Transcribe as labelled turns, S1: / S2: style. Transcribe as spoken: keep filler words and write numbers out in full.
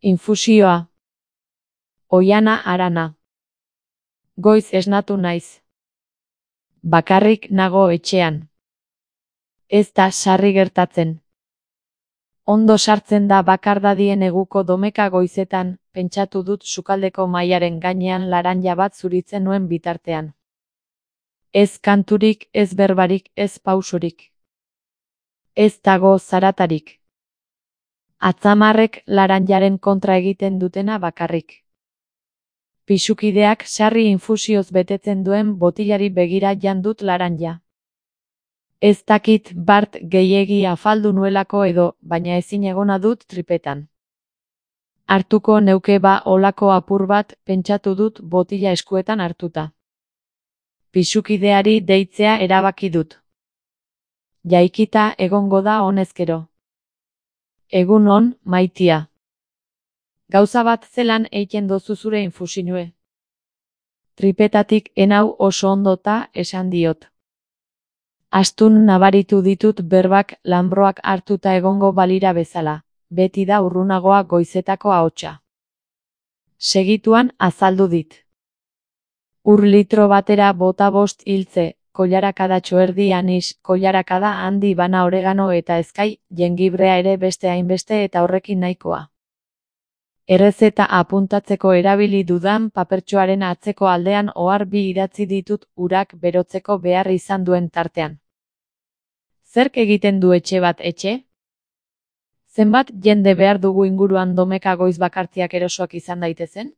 S1: Infusioa. Oiana Arana. Goiz esnatu naiz. Bakarrik nago etxean. Ez da sarri gertatzen. Ondo sartzen da bakardadien eguko domeka goizetan, pentsatu dut sukaldeko mahaiaren gainean laranja bat zuritzen nuen bitartean. Ez kanturik, ez berbarik, ez pausurik. Ez dago zaratarik. Atzamarrek laranjaren kontra egiten dutena bakarrik. Pisukideak sarri infusioz betetzen duen botilari begira jan dut laranja. Ez dakit bart gehiegi afaldu nuelako edo, baina ezin egona dut tripetan. Hartuko neuke ba olako apur bat, pentsatu dut botila eskuetan hartuta. Pisukideari deitzea erabaki dut. Jaikita egongo da honezkero. Egun on, maitia. Gauza bat zelan eiten dozu zure infusinue. Tripetatik enau oso ondota esan diot. Astun nabaritu ditut berbak lanbroak hartuta egongo balira bezala, beti da urrunagoa goizetako ahotsa. Segituan azaldu dit. Ur litro batera bota bost hiltze, koilarakada txoerdi anis, koilarakada handi bana oregano eta ezkai, jengibrea ere beste hainbeste eta horrekin nahikoa. Errezeta apuntatzeko erabili dudan papertxoaren atzeko aldean ohar bi idatzi ditut urak berotzeko behar izan duen tartean. Zerk egiten du etxe bat etxe? Zenbat jende behar dugu inguruan domeka goiz bakartiak erosoak izan daitezen?